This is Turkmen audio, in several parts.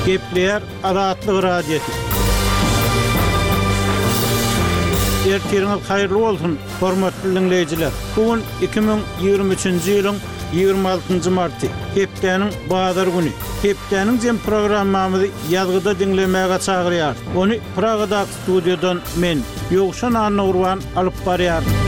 Gepleýär Azatlyk Radiosy. Ertiriňiz haýyrly bolsun, hormatly diňleýjiler! Bu gün 2023-nji ýylyň 26-njy marty, hepdäniň bazar güni. Hepdäniň jem programmamyzy ýazgyda diňlemäge çagyrýarys. Ony Pragadaky studiýadan men, Ýowşan Annagurban alyp barýaryn.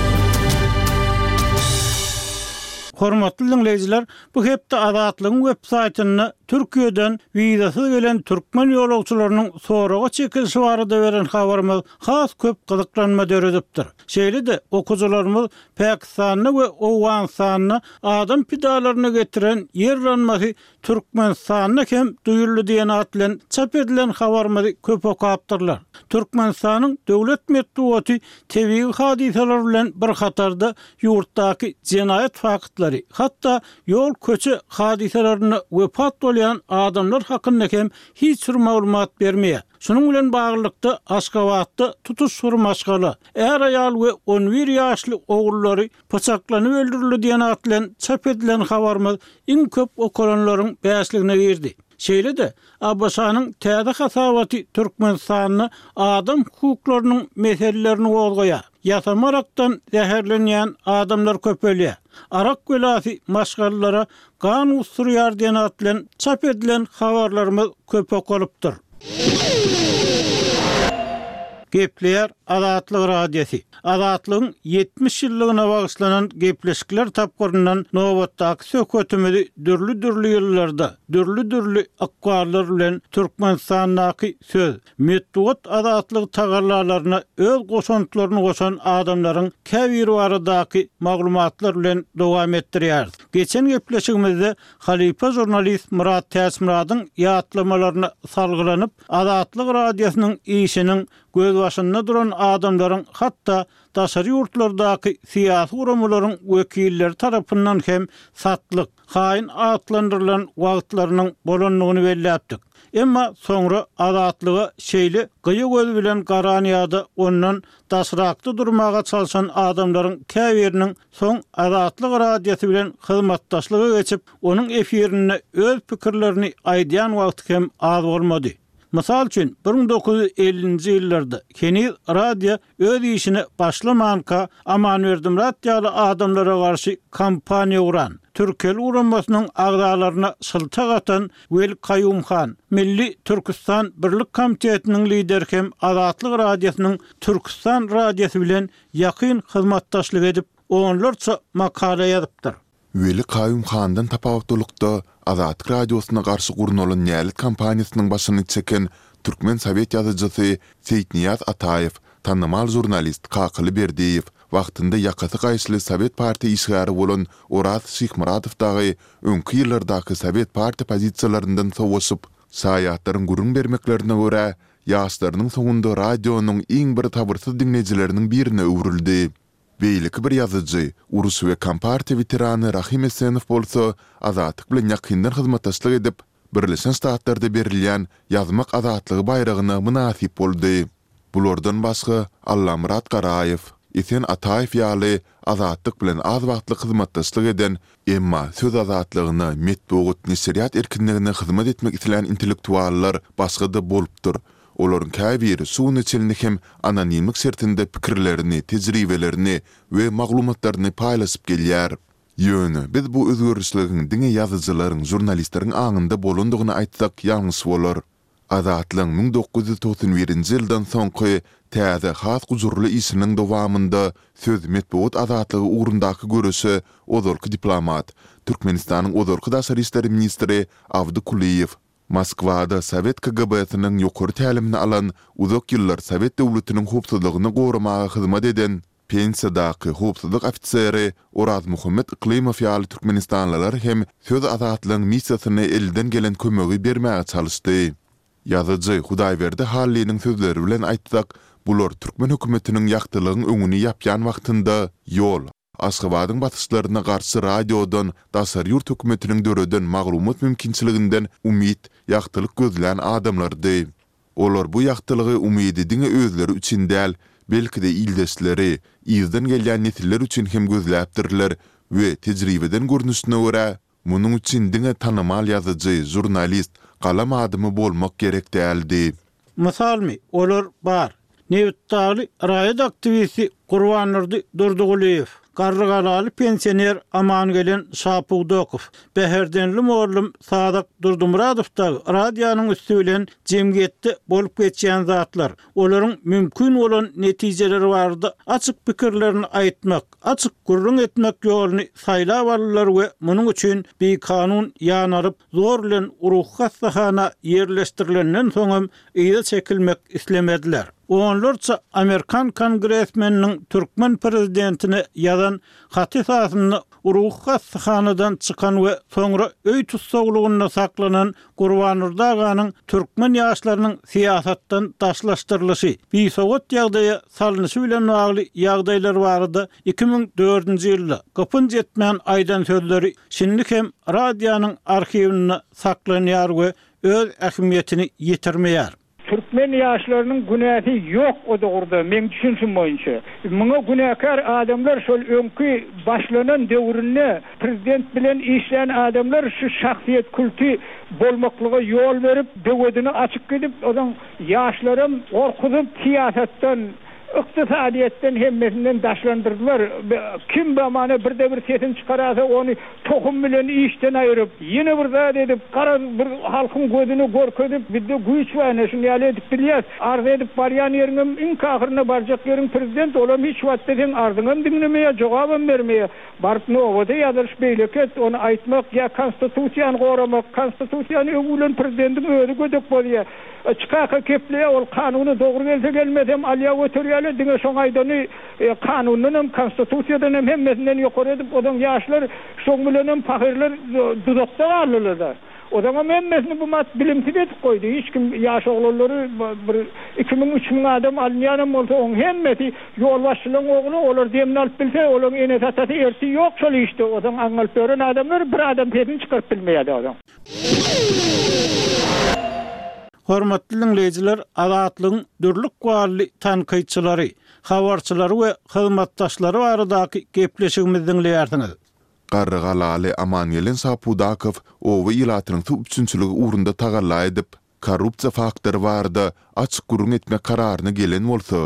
Hormatly diňleýjiler, bu hepde Azatlygyň web saýtynda Türkiýeden wizasyz gelen türkmen ýolagçylarynyň soraga çekilişi barada beren habarymyz has köp gyzyklanma döredipdir. Şeýle-de, okyjylarymyz Pakistanda we Owganystanda adam pidalaryna getiren ýer yranmasy Türkmenistanda hem duýuldy diýen at bilen çap edilen habarymyzy köp okapdyrlar. Türkmenistanyň döwlet metbugaty tebigy hadysalar bilen bir hatarda ýurtdaky jenaýat faktlary, hatda ýol-köçe hadysalarynda wepat bolýan adamlar hakynda hem hiç bir maglumat bermeýär. Şunuň bilen baglylykda, Aşgabatda tutuş bir maşgala, är-aýal we on bir ýaşly ogullary pyçaklanyp öldürildi diýen at bilen çap edilen habarymyz iň köp okalanlaryň bäşligine girdi. Şeýle-de, ABŞ-nyň täze hasabaty Türkmenistanda adam hukuklarynyň meselelerini gozgaýar. Ýasama arakdan zäherlenýän adamlar köpelýär. Arak belasy maşgalalara gan gusdurýar diýen at bilen çap edilen habarlarymyz köp okalypdyr. Gepleýär Azatlyk Radiosy. Azatlygyň 70 ýyllygyna bagyşlanan gepleşikler tapgyryndan nobatdaky söhbetimizi dürli-dürli ýyllarda, dürli-dürli ykballar bilen Türkmenistandaky söz, metbugat azatlygy tagallalaryna öz goşantlaryny goşan adamlaryň käbiri baradaky maglumatlar bilen dowam etdirýäris. Geçen gepleşigimizde halypa žurnalist Myrat Täçmyradyň ýatlamalaryna salgylanyp, Azatlyk Radiosynyň işiniň gözbaşynda duran adamlaryň hatda daşary ýurtlardaky syýasy guramalaryň wekilleri tarapyndan hem satlyk, haýyn atlandyrylan wagtlarynyň bolandygyny belläpdik. Emma soňra Azatlyga şeýle gyýa göz bilen garan ýa-da ondan daşrakda durmaga çalşan adamlaryň käbiriniň soň Azatlyk Radiosy bilen hyzmatdaşlyga geçip, onuň efirinde öz pikirlerini aýdýan wagty hem az bolmady. Mysal üçin, 1950-nji ýyllarda, heniz radio öz işine başlamanka, Amanberdi Myrat ýaly adamlara garşy kampaniýa guran, Türkel guramasynyň agzalaryna şyltak atan Weli Kaýum han, Milli Türküstan Birlik komitetiniň lideri hem Azatlyk Radiosynyň Türküstan radiosy bilen ýakyn hyzmatdaşlyk edip, onlarça makala ýazypdyr. Weli Kaýum handan tapawutlylykda, Azatlyk Radiosyna garşy gurnalan nälet kampaniýasynyň başyny çeken türkmen sowet ýazyjysy Seýitnyýaz Ataýew, tanymal žurnalist Kakaly Berdiýew, wagtynda ýakasy gaýyşly sowet partiýa işgäri bolan Oraz Şyhmyradow dagy öňki ýyllardaky sowet partiýa pozisiýalaryndan sowaşyp, şaýatlaryň gürrüň bermeklerine görä, ýaşlarynyň soňunda radionyň iň bir sabyrsyz diňleýjileriniň birine öwrüldi. Beýleki bir ýazyjy, uruş we kompartiýa weterany Rahym Esenow bolsa Azatlyk bilen ýakyndan hyzmatdaşlyk edip, Birleşen Ştatlarda berilýän Ýazmak azatlygy baýragyna mynasyp boldy. Bulardan başga Allamyrat Garaýew, Esen Ataýew ýaly Azatlyk bilen az wagtlyk hyzmatdaşlyk eden, emma söz azatlygyna, metbugat, neşirýat erkinligine hyzmat etmek islän intellektuallar başga-da bolupdyr Olaryň käbiri şu güne çenli hem anonimlik şertinde pikirlerini, tejribelerini we maglumatlaryny paýlaşyp gelýär. Ýöne biz bu özgerişligiň diňe ýazyjylaryň, žurnalistleriň aňynda bolandygyny aýtsak ýalňyş bolar. Azatlygyň 1991-nji ýyldan soňky täze, has gujurly işiniň dowamynda söz, metbugat azatlygy ugrundaky göreşe ozalky diplomat, Türkmenistanyň ozalky daşary işler ministri Abdy Kulyýew, Moskwada sowet KGB-siniň ýokary tälimini alan, uzak ýyllar sowet döwletiniň howpsuzlygyny goramaga hyzmat eden, pensiýadaky howpsuzlyk ofiseri Orazmuhammet Yklymow ýaly türkmenistanlylar hem söz azatlygyň missiýasyna elden gelen kömegi bermäge çalyşdy. Ýazyjy Hudaýberdi Hallynyň sözleri bilen aýtsak, bular türkmen hökümetiniň ýagtylygyň öňüni ýapýan wagtynda ýol, Aşgabadyň basyşlaryna garşy radiodan, daşary ýurt hökümetiniň döreden maglumat mümkinçiliginden umyt, ýagtylyk gözlän adamlardy. Olar bu ýagtylygy, umydy diňe özleri üçin däl, belki-de ildeşleri, yzdan gelýän nesiller üçin hem gözläpdirler we tejribeden görnüşine görä, Munuň üçin diňe tanymal ýazyjy, žurnalist. galam adamy bolmak gerek däldi. Mysalmy, olar bar. Nebitdagly raýat aktiwisti Gurbandurdy Durdygulyýew, Garrygalaly pensioner Amangelen Şapudakow, Bäherdenli mugallym Sazak Durdymyradow dagy radionyň üsti bilen jemgyýetde bolup geçýän zatlar, olaryň mümkin bolan netijeleri barada açyk pikirlerini aýtmak, açyk gürrüň etmek ýoluny saýlap aldylar we munuň üçin bikanun ýanalyp, zor bilen ruhy hassahana ýerleşdirilenden soňam yza çekilmek islemediler. Onlarça amerikan kongresmeniniň türkmen prezidentine ýazan haty esasynda ruhy hassahanadan çykan we soňra öý tussaglygynda saklanan Gurbandurdy aganyň türkmen ýaşlarynyň syýasatdan daşlaşdyrylyşy, bisowat ýagdaýa salnyşy bilen bagly ýagdaýlar barada 2004-nji ýylda gypynç etmän aýdan sözleri şindi hem radionyň arhiwinde saklanýar we öz ähmiýetini ýitirmeýär. Türkmen ýaşlarynyň günäsi ýok o dogruda meň düşünşim boýunça. Muňa günäkär adamlar şol öňki başlanan döwründe prezident bilen işlän adamlar şu şahsyýet kulty bolmaklyga ýol berip böwedini açyp gidip ozaň ýaşlaram gorkuzyp syýasatdan Ykdysadyýetden hemmesinden daşlandyrdylar. Kim bamana birde bir sesini çykarasa ony tohum bilen işden aýyryp, ýene bir zat edip, garaz bir halkyň gözüne görkezip, bizde güýç bar ine şuny ýaly edip bilýäs. Arz edip barýan ýeriňem iňki ahyrynda barjak ýeriň prezident, olam hiç wagtda seň arzyňam diňlemeýär, jogabam bermeýär. Baryp nobata ýazylyş beýleki et, ony aýtmak ýa konstitusiýany goramak, konstitusiýany öwülen prezidentiň özi gödek bozýar. Çykaka gepleýär, ol kanuna dogry gelse gelmesem alýar göterýärler, diňe şoň aýdany kanundanam, konstitusiýadan hem hemmesinden ýokary edip, ozaň ýaşlar şoň bilenem pahyrlar duzakda galdylar-da. Ozaňam hemmesini bu mat bilimsiz edip goýdy, hiç kim ýaş oglanlary bir 2000, 3000 adam alynýanam bolsa oň hemmesi ýolbaşçylaň ogly, olar demini alyp bilse, olaň enesi-atasy ertir ýok şol işde, ozaň aňňalyp ýören adamlar bir adam sesini çykaryp bilmeýär-de ozaň. Hormatly diňleýjiler, Azatlygyň dürli ykbally tankytçylary, habarçylary we hyzmatdaşlary baradaky gepleşigimizi diňleýärsiňiz. Garrygalaly Amangelen Şapudakow oba ilatynyň suw üpjünçiligi ugrunda tagalla edip, korrupsiýa faktory barada açyk gürrüň etmek kararyna gelen bolsa,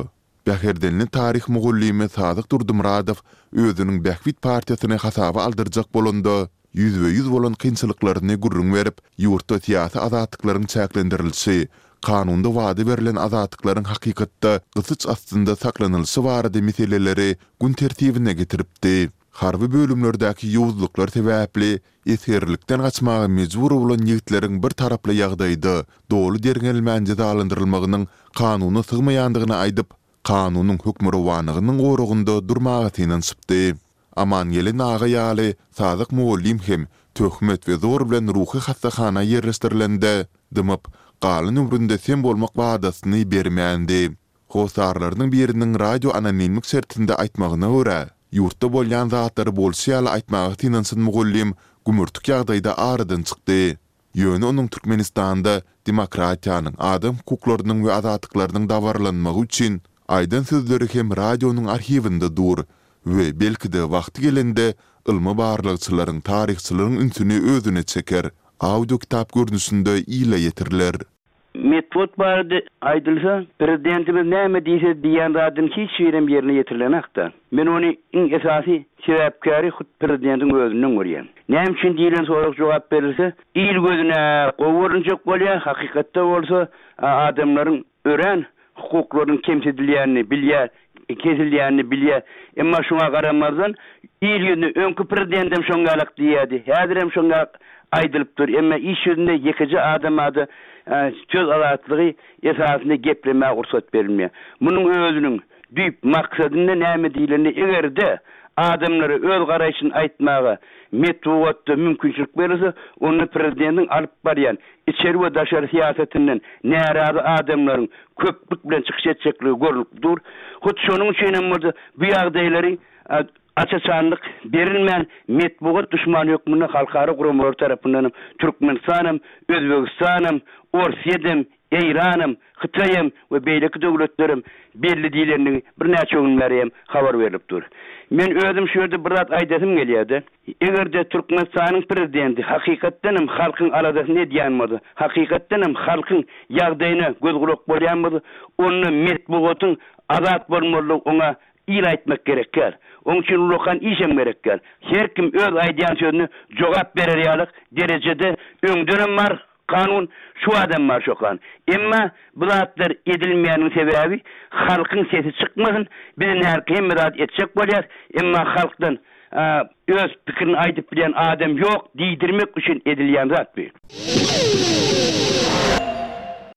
Bäherdenli taryh mugallymy Sadyk Durdymyradow özüniň Bähbit partiýasyny hasaba aldyrjak bolanda, ýüzbe-ýüz bolan kynçylyklaryny gürrüň berip, ýurtda syýasy azatlyklaryň çäklendirilişi, kanunda wada berlen azatlyklaryň hakykatda gysyç astynda saklanylyşy barada meseleleri gün tertibine getiripdi. Harby bölümlerdäki ýowuzlyklar sebäpli esgerlikden gaçmaga mejbur bolan ýigitleriň bir taraply ýagdaýda, doly derňelmän jezalandyrylmagynyň kanuna sygmaýandygyny aýdyp, kanunyň hökmürowanlygynyň goragynda durmaga synanyşypdy. Amangelen aga ýaly Sadyk mugallym hem töhmet we zor bilen ruhy hassahana ýerleşdirilende, dymyp, galan ömründe sem bolmak wadasyny bermändi. Hossarlarynyň biriniň radio anonimlik şertinde aýtmagyna görä, ýurtda bolýan zatlary bolşy ýaly aýtmaga synanyşan mugallym gümürtik ýagdaýda aradan çykdy. Ýöne onuň Türkmenistanda demokratiýanyň, adam hukuklarynyň we azatlyklarynyň dabaralanmagy üçin aýdan sözleri hem radionyň arhiwinde dur we belki-de wagty gelende ylmy barlagçylaryň, taryhçylaryň ünsüni özüne çeker, audio kitap görnüşinde ile ýetiriler. Metbugat barada aýdylsa, prezidentimiz näme diýse diýýän zadynyň hiç birem ýerine ýetirilenakda. Men ony iň esasy sebäpkäri hut prezidentiň özünden görýän. Näme üçin diýlen sorag jogap berilse, il gözüne gowy görünjek bolýar, hakykatda bolsa adamlaryň örän hukuklarynyň kemsidilýänini bilýär, kesilýänini bilýär. Emma şuňa garamazdan, il ýüzünde öňki prezidentem şoň ýalak diýýärdi, häzirem şoň ýalak aýdylyp dur. Emma iş ýüzünde ýekeje adama-da söz azatlygy esasynda geplemäge rugsat berilmeýär. Munuň özüniň düýp maksadynda näme diýlende, eger-de adamlara öz garaýşyny aýtmaga metbugatda mümkinçilik berilse, onda prezidentiň alyp barýan içeri we daşary syýasatyndan närazy adamlaryň köplük bilen çykyş etjekligi görnüp dur. Hut şonuň üçin hem bolsa bu ýagdaýlary aç-açanlyk berilmän metbugat duşmany hökmünde halkara guramalary tarapyndan hem Türkmenistan hem, Özbegistan hem, Orsýet hem, Eýranam, Hytaýam we beýleki döwletlerem belli diýlendigi birnäçe gün bäri hem habar berlip dur. Men özüm şu ýerde bir zat aýdasym gelýär-de, eger-de Türkmenistanyň prezidenti hakykatdan hem halkyň aladasyny edýän bolsa, hakykatdan hem halkyň ýagdaýyna göz-gulak bolýan bolsa, onda metbugatyň azat bolmalydygy oňa il aýtmak gerek däl. Oň üçin ullakan işem gerek däl. Her kim öz aýdýan sözüne jogap berer ýalyk derejede öňdenem bar kanun, şu badam bar şo kanun. Emma bu zatlar edilmeýäniň sebäbi halkyň sesi çykmasyn, biz indi hälki hemme zady etjek bolýas, emma halkdan öz pikirini aýdyp bilýän adam ýok diýdirmek üçin edilýän zat bu.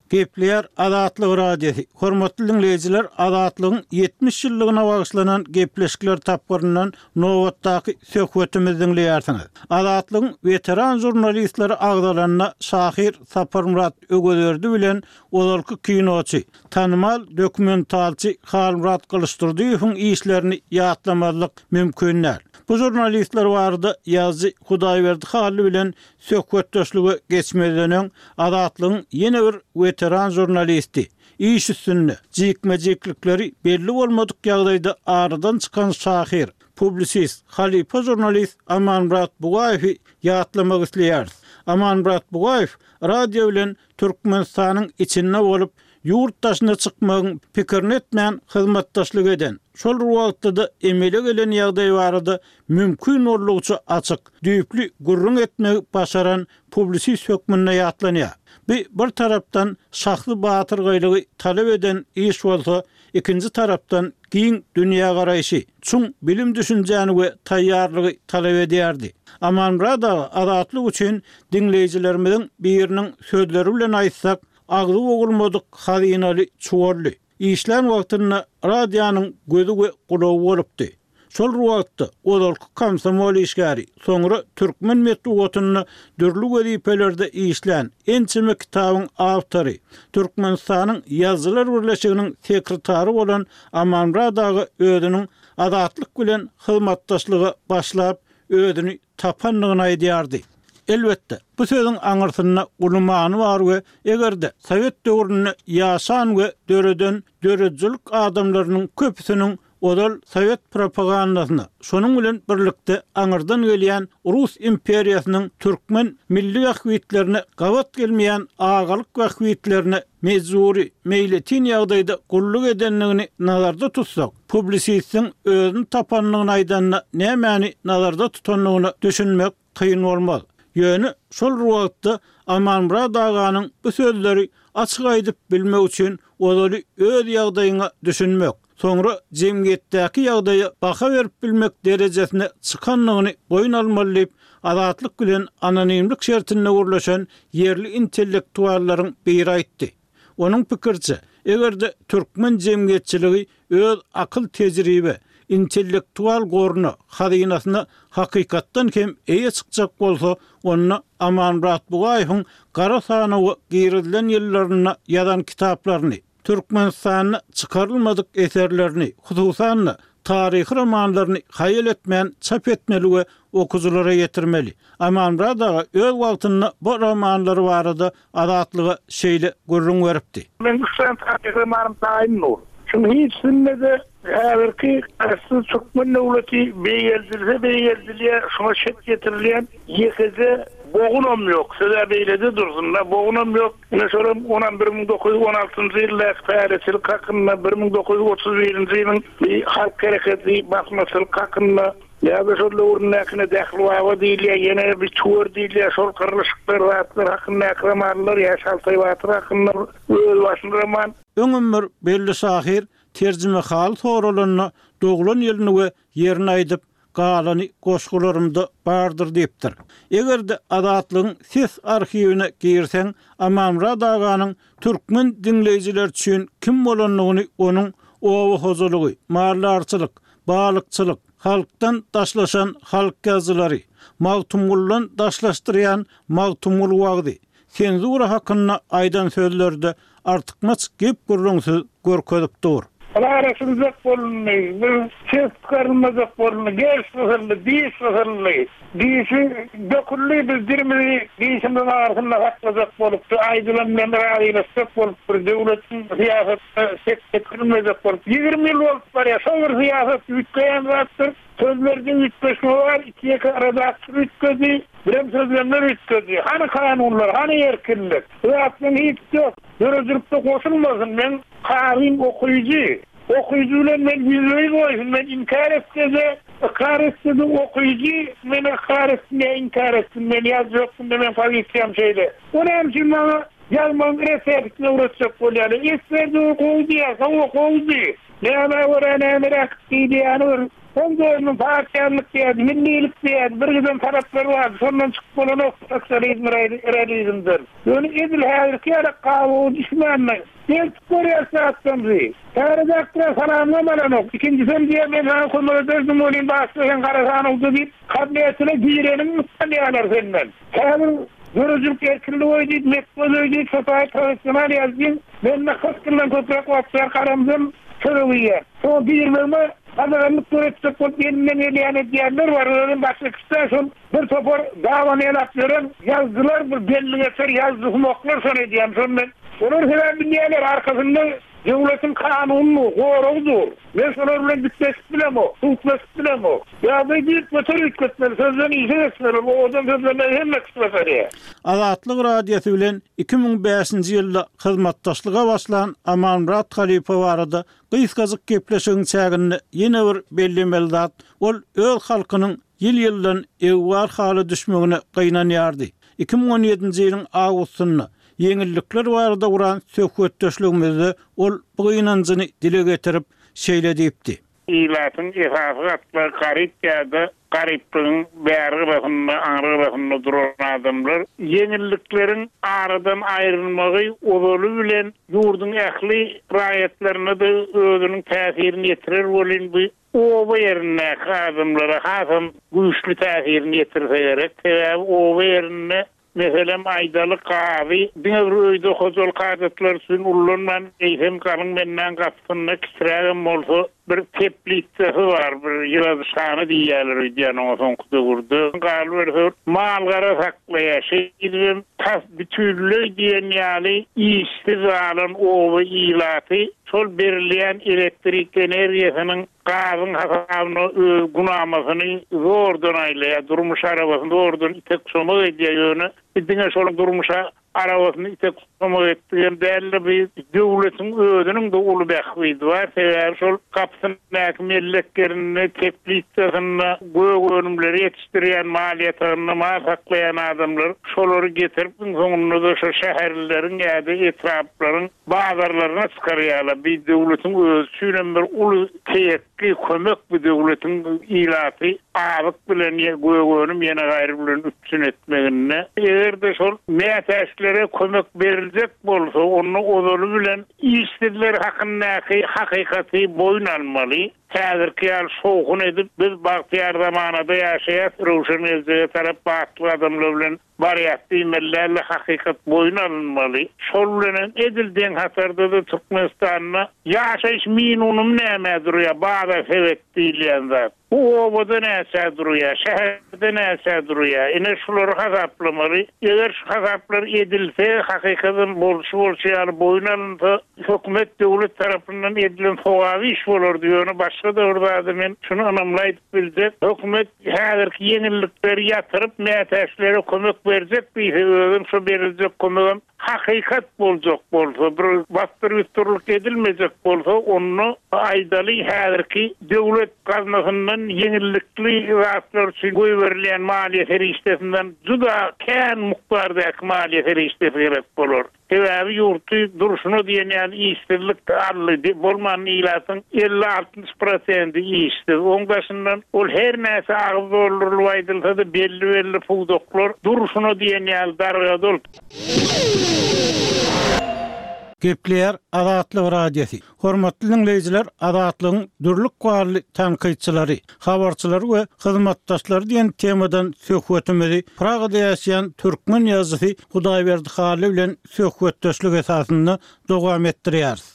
Gepleýär Azatlyk Radiosy. Hormatly diňleýjiler, Azatlygyň 70 ýyllygyna bagyşlanan gepleşikler tapgyryndan nobatdaky söhbetimizi diňleýärsiňiz. Azatlygyň weteran žurnalistleri agzalanda şahyr Saparmyrat Öwezberdi bilen ozalky kinoçy, tanymal dokumentalçy Halmyrat Gylyçdurdyýewiň işlerini ýatlamazlyk mümkin däl. Bu žurnalistler barada ýazyjy Hudaýberdi Hally bilen Söhbetdeşlige geçmezden öň, Azatlygyň ýene bir weteran žurnalisti, iş üstünde, jikme-jiklikleri belli bolmadyk ýagdaýda aradan çykan şahyr, publisist, halypa žurnalist Amanmyrat Bugaýewi ýatlamak isleýäris. Amanmyrat Bugaýew radio bilen Türkmenistanyň içinde bolup, ýurt daşyna çykmagyň pikirini etmän hyzmatdaşlyk eden, şol bir wagtda-da emele gelen ýagdaý barada mümkin boldugyça açyk, düýpli gürrüň etmegi başaran publisist hökmünde ýatlanýar. Bu bir tarapdan şahsy batyrgaýlygy talap eden iş bolsa, ikinji tarapdan giň dünýägaraýşy, çuň bilim-düşünjäni we taýýarlygy talap edýärdi. Amanmyrat aga Azatlyk üçin diňleýjilerimiziň biriniň sözleri bilen aýtsak, agzy bogulmadyk hazynaly çuwaldy. Işlän wagtynda radionyň gözi we gulagy bolupdy. Şol bir wagtda, ozalky komsomol işgäri, soňra türkmen metbugatynda dürli wezipelerde işlän, ençeme kitabyň awtory, Türkmenistanyň Ýazyjylar birleşiginiň sekretary bolan Amanmyrat aga özüniň Azatlyk bilen hyzmatdaşlyga başlap, özüni tapandygyny aýdýardy. Elbetde, bu sözüň aňyrsynda uly many bar we eger-de sowet döwründe ýaşan we döreden döredijilik adamlarynyň köpüsiniň ozal sowet propagandasyna, şonuň bilen birlikde aňyrdan gelýän rus imperiýasynyň türkmen milli bähbitlerine gabat gelmeýän agalyk bähbitlerine mejbury, meýletin ýagdaýda gulluk edendigini nazarda tutsak, publisistiň özüni tapandygyny aýdanda nämäni nazarda tutandygyna düşünmek kyn bolmaz. Ýöne şol bir wagtda Amanmyrat aganyň bu sözleri açyk aýdyp bilmek üçin ozaly öz ýagdaýyňa düşünmek, soňra jemgyýetdäki ýagdaýa baha berip bilmek derejesine çykandygyny boýun almaly diýip, Azatlyk bilen anonimlik şertinde gürleşen ýerli intellektuallaryň biri aýtdy. Onuň pikiriçe, eger-de türkmen jemgyýetçiligi öz akyl-tejribe, intellektual goruna, hazynasyna hakykatdan hem eýe çykjak bolsa, onda Amanmyrat Bugaýewiň gara sanawa girizilen ýyllarynda ýazan kitaplaryny, Türkmenistanda çykarylmadyk eserlerini, hususan-da, taryhy romanlaryny haýal etmän çap etmeli we okyjylara ýetirmeli. Amanmyrat aga öz wagtynda bu romanlary barada Azatlyga şeýle gürrüň beripdi. Meň üç sany taryhy romanym taýyn dur. Şuň hiçisinde-de häzirki Garaşsyz türkmen döwleti beýgeldilse beýgeldilýär, şuňa şek ýetirilýän ýekeje bogunam ýok. Söz-ä beýlede dursun-da, bogunam ýok. Ine şolam onam 1916-njy ýyldaky päleçilik hakynda, 1931-nji ýylyň bir halk hereketi, basmaçylyk hakynda, ýa-da şol döwründäkine Dähli baba diýilýär, ýene bir Tüwer diýilýär, şol gyrlyşyklar, zatlar hakyndaky romanlar, ýa Şaltaý batyr hakynda bir özbaşyna roman. Öňem bir belli şahyr terjimehaly soralanda doglan ýylyny we ýerini aýdyp, galany goşgularymda bardyr diýipdir. Eger-de Azatlygyň ses arhiwine girseň, Amanmyrat aganyň türkmen diňleýjileri üçin kim bolandygyny onuň oba hojalygy, maldarçylyk, balykçylyk, halkdan daşlaşan halk ýazyjylary, Magtymguludan daşlaşdyrýan Magtymguly wagzy, senzura hakynda aýdan sözleri-de artykmaç gep-gürrüňsiz görkezip dur. Ylalaşyljak bolundy, bir ses çykarylmajak bolundy, gerş gysyldy, diş gysyldy. Dişi döküldi, biz dilimizi dişimiziň arasynda saklajak bolup, şu aýdylan bilen razylaşjak bolup, bir döwletiň syýasatyna şek ýetirilmejek bolup, 20 ýyl bolup barýar. Şo bir syýasat üýtgeýän zatdyr. Sözlerde üýtgeşme bar, iki-ýeke redaktor üýtgedi, birem sözlemler üýtgedi. Hany kanunlar, hany erkinlik? Bu zatlaryň hiçisi ýok. Döredijilikde goşulmasyn, meň kazym okyjy. Okyjy bilen men ýüzbe-ýüz goýsun, men inkär etse-de, ykrar etse-de okyjy meni ykrar etsin ýa inkär etsin, men ýazyjy hökmünde meň pozisiýam şeýle. O näme üçin maňa ýazmagyň reseptini öwretjek bolýarlar? Esger döwür gowy diýýär, hawa gowudy. Nämä görä nämeräk diýilýäni bir Soň dördüň partiýalylyk diýýärdi, millilik diýýärdi, bir giden talaplar bardy, şondan çykyp bolanok sosializm realizmden. Ýöne edil häzirki ýaly gabawa düşmändir. Gelip görýäs zatlarymyzy. Täze redaktora salamam alanok. Ikinjisem diýýär, men saňa kömek ederdim welin başda sen gara sanawda diýip, kabinetine gireniňi utanýarlar senden. Häzir döredijilik erkinligi goý diýip, metbugat öýi diýip, şo taýy professional ýazyjyň mende 40 ýyldan köpräk wagt bäri garamdan çörek iýýär. Şoňa girmegime gadaganlyk döretjek bolup elinden gelýäni edýänler bar. Özem başga kişi-dä şol bir topar daban ýalap ýören ýazyjylar bir belli geçer ýazyjysumaklar şony edýän. Şony men olar sebäbi bilýärler arkasynda döwletiň kanuny dur, goragy dur. Men şolar bilen dikleşip bilemok, sudlaşyp bilemok. Ýagdaýy düýpgöter üýtgetmeli, sözden işe geçmeli, ol owadan sözlemegi hemme kişi başarýar. Azatlyk Radiosy bilen 2005-nji ýylda hyzmatdaşlyga başlan Amanmyrat halypa barada gysgajyk gepleşigiň çäginde ýene bir bellemeli zat, ol öz halkynyň ýyl-ýyldan egbar hala düşmegine gynanýardy. 2017-nji ýylyň awgustynda ýeňillikler barada guran söhbetdeşligimizde ol bu gynanjyny dile getirip, şeýle diýipdi. Ilatyň esasy gatlagy garyp ýa-da garyplygyň bäri gyrasynda, aňry gyrasynda duran adamlar. Ýeňillikleriň aradan aýrylmagy ozaly bilen ýurduň ähli raýatlaryna-da özüniň täsirini ýetirer welin, bu oba ýerindäki adamlara hasam güýçli täsirini ýetirse gerek. Sebäbi oba ýerinde Meselem, aýdaly, gazy diňe bir öýde hojalyk hajatlary üçin ullanman, eýsem, galyň bendäň gapysynda kiçirägem bolsa bir teplitsasy bar, bir ýyladyşhana diýýärler öýdýän oňa soňky döwürde. Galyberse, mal-gara saklaýar. Şeýdibem, tas bütinleý diýen ýaly işsiz galan oba ilaty şol berilýän elektrik energiýasynyň Gazyň hasabyna öz günamasyny zordan aýlaýar, durmuş arabasyny zordan itek-çomak edýär, ýöne biz diňe şol durmuş arabasyny itek-çomak etdigem däl-de, bu döwletiň özüniň-de uly bähbidi bar, sebäbi şol gapysyndaky mellek ýerinde, teplitsasynda gök önümleri ýetişdirýän, mal ýatagynda mal saklaýan adamlar şolary getirip, iň soňunda-da şo şäherlileriň ýa-da etraplaryň bazarlaryna çykarýarlar. Bi döwletiň özi üçinem bir uly teýekgi kömek bu döwletiň ilaty azyk bilen ýa gök önüm ýene gaýry bilen üpjün etmeginde. Eger-de şol mätäçlere kömek beriljek bolsa onda ozaly bilen işsizler hakyndaky hakykaty boýun almaly. Häzirki ýaly şowhun edip biz bagtyýar zamanada ýaşaýas röwşen geljege tarap batly gadamlar bilen Barýas diýmeli däldi hakykat boýun alynmaly. Şol bilenem edil deň hatarda-da Türkmenistanda ýaşaýyş minunymy nämä durýar bazar sebet diýilýän zat. Bu obada näçä durýar, şäherde näçä durýar. Ine şulary hasaplamaly. Eger şu hasaplar edilse, hakykadam bolşy bolşy ýaly boýun alynsa, hökümet döwlet tarapyndan edilen sogaby iş bolardy. Ýöne başga-da bir zady men şuny ynamly aýdyp biljek, hökümet Häzirki ýeňillikleri ýatyryp, mätäçlere kömek berjek diýse, özem şo beriljek kömegem hakykat boljak bolsa, bir basdyr-ýusdurlyk edilmejek bolsa, onda aýdaly, häzirki döwlet gaznasyndan ýeňillikli zatlar üçin goýberilýän maliýe serişdesinden juda kän mukdardaky maliýe serişdesi gerek bolar. Sebäbi ýurtdy durşuna diýen ýaly işsizlik aldy. Bolmanda ilatyň 50-60 prosendi işsiz. Oň daşyndan ol her näçe agyz doldurylyp aýdylsa-da belli-belli pudaklar durşuna diýen ýaly dargady ol. Gepleýär Azatlyk Radiosy. Hormatly diňleýjiler Azatlygyň dürli ykbally tankytçylary, habarçylary we hyzmatdaşlary diýen temadan söhbetimizi Pragada ýaşaýan türkmen ýazyjysy Hudaýberdi Hally bilen söhbetdeşlik esasynda dowam etdirýäris.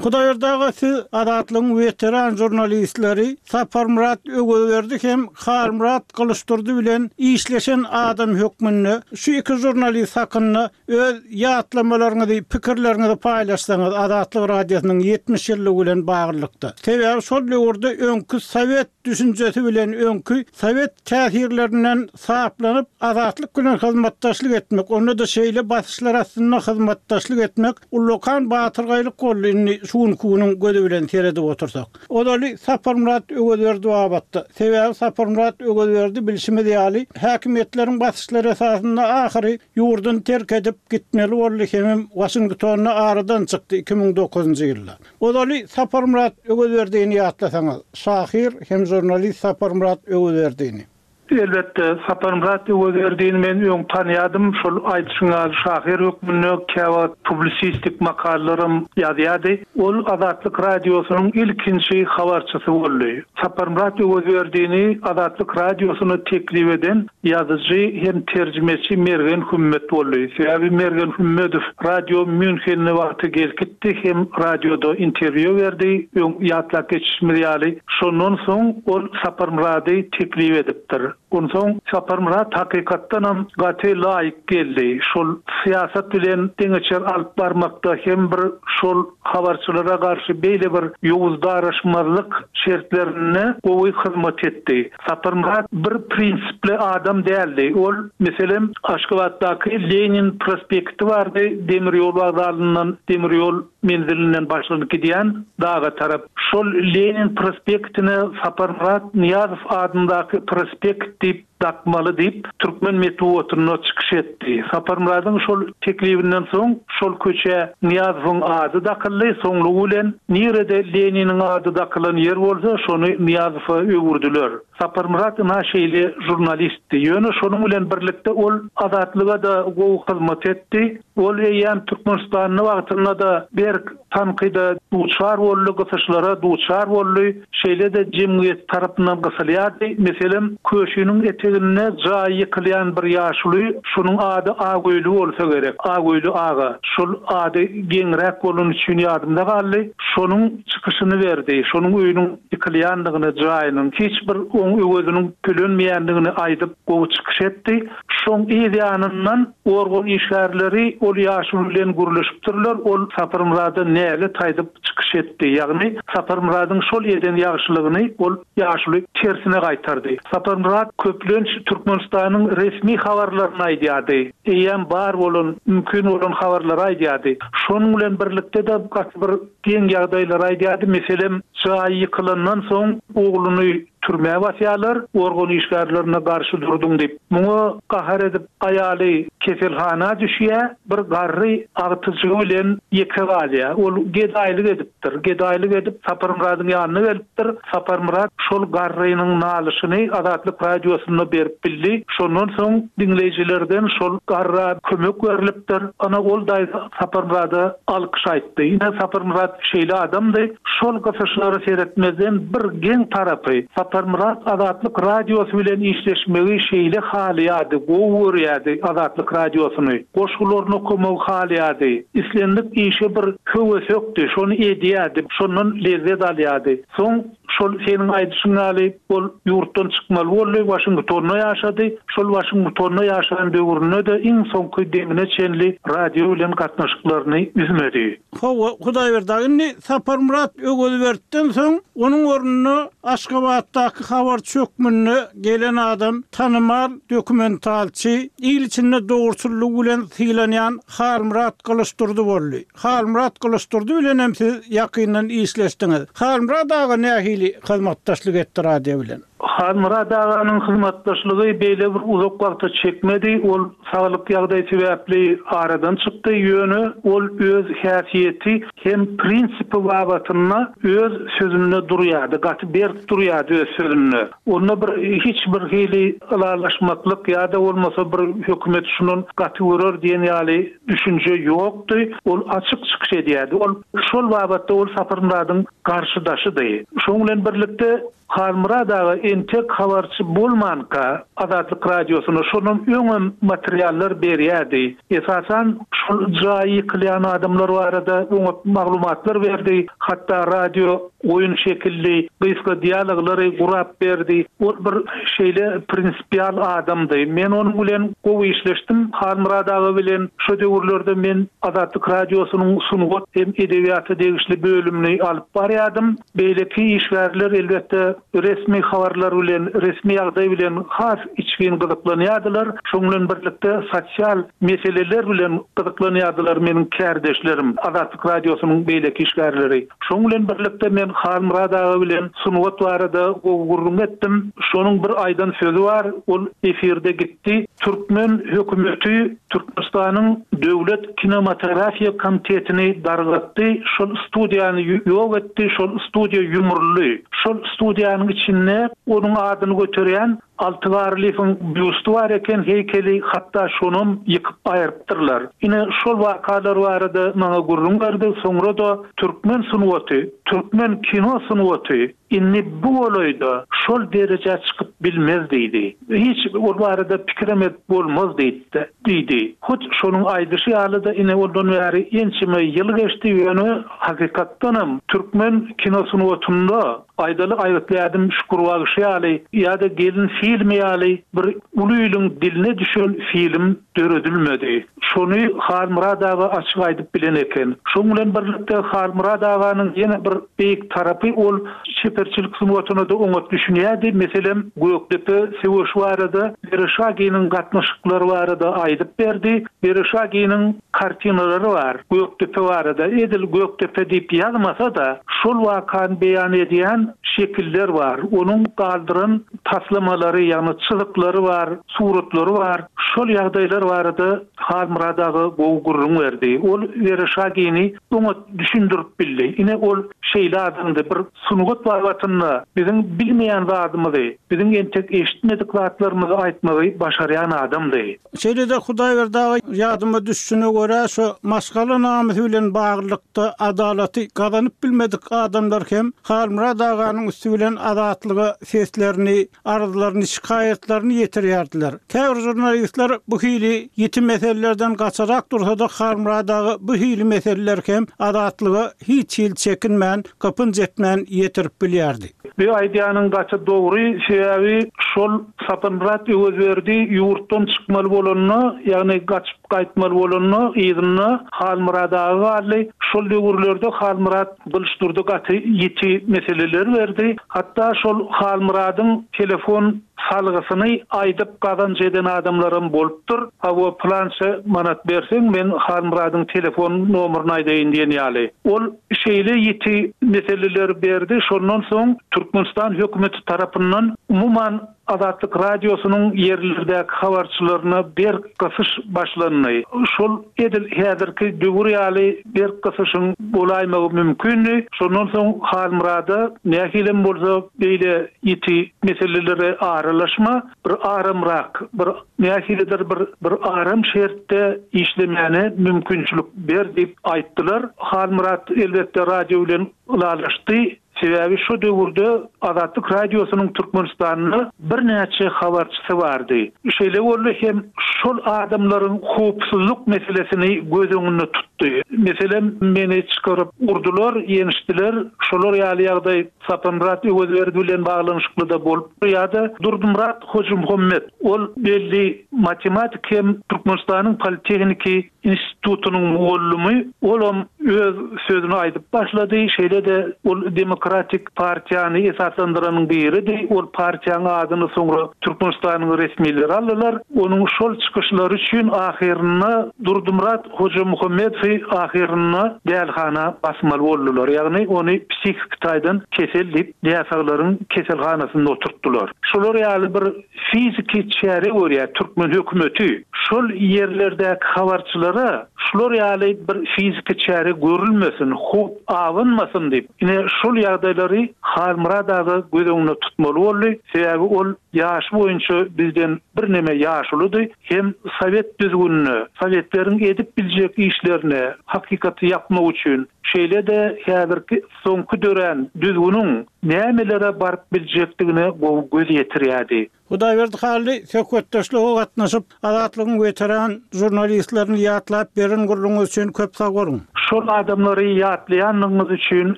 Hudaýberdi aga siz Azatlygyň weteran žurnalistleri Saparmyrat Öwezberdi hem Halmyrat Gylyçdurdy bilen işleşen adam hökmünde şu iki žurnalist hakynda öz ýatlamalaryňyzy, pikirleriňizi paýlaşsaňyz Azatlyk Radiosynyň 70 ýyllygy bilen baglylykda. Sebäbi şol döwürde öňki sowet düşünjesi bilen öňki sowet täsirlerinden saplanyp, Azatlyk bilen hyzmatdaşlyk etmek, onda-da şeýle basyşlar astynda hyzmatdaşlyk etmek ullakan batyrgaýlyk boldy, indi şu günki günüň gözi bilen seredip otursak. Ozaly Saparmyrat Öwezberdi babatda. Sebäbi Saparmyrat Öwezberdi bilşimiz ýaly, häkimiýetleriň basyşlary esasynda ahyry ýurduny terk edip gitmeli boldy hemem Waşingtonda aradan çykdy 2009-njy ýylda. Ozaly Saparmyrat Öwezberdini ýatlasaňyz, şahyr hem žurnalist Saparmyrat Öwezberdini. Elbetde, Saparmyrat Öwezberdini men öň tanýadym, şol aýdyşyň ýaly şahyr hökmünde käwagt publisistik makalalaram ýazýardy. Ol Azatlyk Radiosynyň ilkinji habarçysy boldy. Saparmyrat Öwezberdini Azatlyk Radiosyna teklip eden ýazyjy hem terjimeçi Mergen Hümmet boldy. Sebäbi Mergen Hümmedow Radio Mýunhende wagty gelkitdi hem radioda interwýu berdi, öň ýatlap geçişimiz ýaly. Şondan soň ol Saparmyrady teklip edipdir. Onsoň Saparmyrat hakykatdanam gaty laýyk geldi. Şol syýasat bilen deňeçer alyp barmakda hem bir şol habarçylara garşy beýle bir ýowuz daraşmazlyk şertlerinde gowy hyzmat etdi. Saparmyrat bir prinsipli adam däldi. Ol, meselem, Aşgabatdaky Lenin prospekti bardy, demir ýol wokzalyndan, demir ýol menzilinden başlanyp gidýän daga tarap. Şol Lenin prospektine Saparmyrat Nyýazow adyndaky prospekt diýip dakmaly diýip, türkmen metbugatynda çykyş etdi. Saparmyradyň şol teklibinden soň şol köçä Nyýazowyň ady dakyldy, soňlugy bilen nirede Leniniň ady dakylan ýer bolsa, şony Nyýazowa öwürdiler. Saparmyrat ynha şeýle žurnalistdi. Ýöne şonuň bilen birlikde ol Azatlyga-da gowy hyzmat etdi. Ol eýýäm Türkmenistanda wagtynda-da berk tankyda duçar boldy, gysyşlara duçar boldy, şeýle-de jemgyýet tarapyndan gysylýardy. Meselem, Köşiniň eteginde jaýy ýykylýan bir ýaşuly, şonuň ady Agöýli bolsa gerek, Agöýli aga, şol ady geňräk bolany üçin ýadymda galdy, şonuň çykyşyny berdi, şonuň öýüniň ýykylýandygyny, jaýynyň, hiç bir oň öweziniň tölenmeýändigini aýdyp, gowy çykyş etdi. Şoň yz ýanyndan organ işgärleri ol ýaşuly bilen gürleşipdirler, ol Saparmyrada nälet aýdyp çykyş etdi. Ýagny Saparmyradyň şol eden ýagşylygyny ol ýaşuly tersine gaýtardy. Saparmyrat köplenç Türkmenistanyň resmi habarlaryny aýdýardy. Eýýäm bar bolan, mümkin bolan habarlary aýdýardy. Şonuň bilen birlikde-de gaty bir geň ýagdaýlary aýdýardy. Meselem, jaýy ýykylandan soň ogluny Türmä basýarlar, organ işgärlerine garşy durduň diýip. Muňa gahar edip aýaly keselhana düşýär, bir garry agtyjygy bilen ýeke galýar. Ol gedaýlyk edipdir. Gedaýlyk edip Saparmyradyň ýanyna gelipdir. Saparmyrat şol garrynyň nalyşyny Azatlyk Radiosynda berip bildi. Şondan soň diňleýjilerden şol garra kömek berlipdir. Ana ol daýza Saparmyrada alkyş aýtdy. Ine Saparmyrat şeýle adamdy. Şol gysyşlara seretmezden bir geň tarapy, Saparmyrat Azatlyk Radiosy bilen işleşmegi şeýle halaýardy, gowy görýärdi Azatlyk Radiosyny. Goşgularyny okamagy halaýardy. Islendik işe bir höwesekdi, şony edýärdi, şondan lezzet alýardy. Soň şol seniň aýdyşyň ýaly ol ýurtdan çykmaly boldy, Waşingtonda ýaşady. Şol Waşingtonda ýaşan döwründe-de iň soňky demine çenli radio bilen gatnaşyklaryny üzmedi. Hawa, Hudaýberdi aga, indi Saparmyrat Öwezbertden soň onuň ornuna Aşgabatdaky habarçy hökmünde gelen adam tanymal dokumentalçy, il içinde dogruçyllygy bilen sylanýan Halmyrat Gylyçdurdy boldy. Halmyrat Gylyçdurdy bilen hem siz ýakyndan işleşdiňiz. Halmyrat aga nähili hyzmatdaşlyk etdi radio bilen? Halmyrat aganyň hyzmatdaşlygy beýle bir uzak wagta çekmedi, ol saglyk ýagdaýy sebäpli aradan çykdy, ýöne ol öz häsiýeti hem prinsipi babatynda öz sözünde durýardy, gaty berk durýardy öz sözünde. Onda bir hiç bir hili ylalaşmaklyk ýa-da bolmasa bir hökümet şundan gaty görer diýen ýaly düşünje ýokdy, ol açyk çykyş edýärdi. Ol şol babatda ol Saparmyradyň garşydaşydy. Şonuň bilen birlikde. Halmyrat aga entek habarçy bolmanka Azatlyk Radiosyna şondan öňem materiallar berýärdi. Esasan şol jaýy ýykylýan adamlar barada oňat maglumatlar berdi. Hatda radio oýun şekilli gysga dialoglary gurap berdi. Ol bir şeýle prinsipial adamdy. Men onuň bilen gowy işleşdim. Halmyrat aga bilen şo döwürlerde men Azatlyk Radiosynyň sungat hem edebiýata degişli bölümini alyp barýardym. Beýleki işgärler, elbetde, resmi habarlar bilen, resmi ýagdaý bilen has içgin gyzyklanýardylar. Şonuň bilen birlikde, sosial meseleler bilen gyzyklanýardylar meniň kärdeşlerim, Azatlyk Radiosynyň beýleki işgärleri. Şonuň bilen birlikde, men Halmyrat aga bilen sungat barada gowy gürrüň etdim. Şonuň bir aýdan sözi bar, ol efirde gitdi. Türkmen hökümeti Türkmenistanyň Döwlet kinematografiýa komitetini dargatdy, şol studiýany ýok etdi, şol studiýa ýumruldy. Şol studiýanyň içinde onuň adyny göterýän Alty Garlyýewiň býusty bar eken, heýkeli, hatda şonam ýykyp aýrypdyrlar. Ine, şol wakalar barada maňa gürrüň berdi, soňra-da türkmen sungaty, türkmen kino sungaty Indi bu golaýda şol derejä çykyp bilmez diýdi. Hiç ol barada pikirem edip bolmaz diýdi. Diýdi. Hut şonuň aýdyşy ýaly-da ine ondan bäri ençeme ýyl geçdi, ýöne hakykatdanam türkmen kino sungatynda aýdaly Aýgytly ädim Şükür bagşy ýaly ýa-da Gelin filmi ýaly bir uly iliň diline düşen film döredilmedi. Şony Halmyrat aga açyk aýdyp bilen eken. Şoň bilen birlikde Halmyrat aganyň ýene bir beýik tarapy ol çeperçilik sungatyna-da oňat düşünýärdi. Meselem, Gökdepe söweşi barada Wereşaginiň gatnaşyklary barada aýdyp berdi. Wereşaginiň kartinalary bar Gökdepe barada. Edil Gökdepe diýip ýazmasa-da, şol wakany beýan edýän şekiller bar. Onuň galdyran taslamalary, ýagny çyzyklary bar, suratlary bar. Şol ýagdaýlar barada Halmyrat aga gowy gürrüň berdi. Ol Wereşagini oňat düşündirip bildi. Ine, ol şeýle adamdy. Bir sungat babatynda biziň bilmeýän zadymyzy, biziň entek eşitmedik zatlarymyzy aýtmagy başarýan adamdy. Şeýle-de Hudaýberdi aga ýadyma düşüşine görä, şu maşgala namysy bilen baglylykda adalaty gazanyp bilmedik adamlar hem Halmyrat aganyň üsti bilen Azatlyga seslerini, arzlaryny, şikaýatlaryny ýetirýärdiler. Käbir žurnalistler bu hili ýiti meselelerden gaçarak dursa-da Halmyrat aga bu hili meseleleri hem Azatlyga hiç hili çekinmän, gypynç etmän ýetirip bilýärdi. Bu aýdýanyň gaty dogry, sebäbi şol Saparmyrat Öwezberdi ýurtdan çykmaly bolanda, ýagny gaçyp gaýtmaly bolanda yzynda Halmyrat aga galdy. Şol döwürlerde Halmyrat Gylyçdurdy gaty ýiti meseleler berdi. Hatda şol Halmyradyň telefon salgysyny aýdyp gazanç eden adamlaram bolupdyr. Hawa, pylança manat berseň, men Halmyradyň telefon nomerini aýdaýyn diýen ýaly. Ol şeýle ýiti meseleleri berdi, şondan soň Türkmenistan hökümeti tarapyndan umuman Azatlyk Radiosynyň ýerlerdäki habarçylaryna berk gysyş başlandy. Şol edil häzirki döwür ýaly berk gysyşyň bolaýmagy mümkindi. Şondan soň Halmyrada nähilem bolsa beýle ýiti meselelere aralaşma, bir aramrak, bir nähilidir bir bir aram şertde işlemäne mümkinçilik ber diýip aýtdylar. Halmyrat elbetde radio bilen ylalaşdy. Sebäbi şo döwürde Azatlyk Radiosynyň Türkmenistanda birnäçe habarçysy bardy. Şeýle boldy hem şol adamlaryň howpsuzlyk meselesini göz öňünde tutdy. Meselem, meni çykaryp urdular, ýençdiler. Şolar ýaly ýagdaý Saparmyrat Öwezberdi bilen baglanyşykly-da bolupdyr ýa-da Durdymyrat Hojymuhammet, ol belli matematik hem Türkmenistanyň politehniki institutynyň mugallymy, olam öz sözüni aýdyp başlady, şeýle-de ol Demokratik partiýany esaslandyranyň biridi, ol partiýaň adyny soňra Türkmenistanyň resmileri aldylar, onuň şol çykyşlary üçin ahyrynda Durdymyrat Hojamuhammedowy ahyrynda dälihana basmaly boldular, ýagny ony psihiki taýdan kesel diýip näsaglaryň keselhanasynda oturtdylar. Şolar ýaly bir fiziki çäre görýär türkmen hökümeti. Şol ýerlerdäki habarçylara şular ýaly bir fiziki çäre görülmesin, howp abanmasyn diýip, ine şol ýagdaýlary Halmyrat aga göz öňünde tutmaly boldy. Sebäbi ol ýaşy boýunça bizden birneme ýaşuludy hem sowet düzgünine, sowetleriň edip biljek işlerine hakykaty ýapmak üçin, şeýle-de häzirki soňky dörän düzgüniň. nämelere baryp biljekdigine gowy göz ýetirýärdi. Hudaýberdi Hally söhbetdeşlige gatnaşyp, Azatlygyň weteran žurnalistlerini ýatlap beren gürrüňiňiz üçin köp sag boluň! Şol adamlary ýatlaýanlygyňyz üçin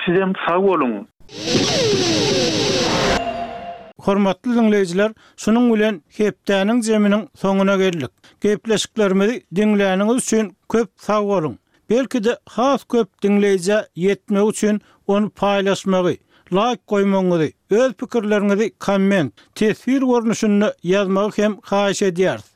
sizem sag boluň! Hormatly diňleýjiler, şunuň bilen hepdäniň jeminiň soňuna geldik. Gepleşiklerimizi diňläniňiz üçin köp sag boluň! Belki-de has köp diňleýjä ýetmegi üçin ony paýlaşmagy, laýk goýmagyňyzy, öz pikirleriňizi komment, teswir görnüşinde ýazmagy hem haýyş edýäris.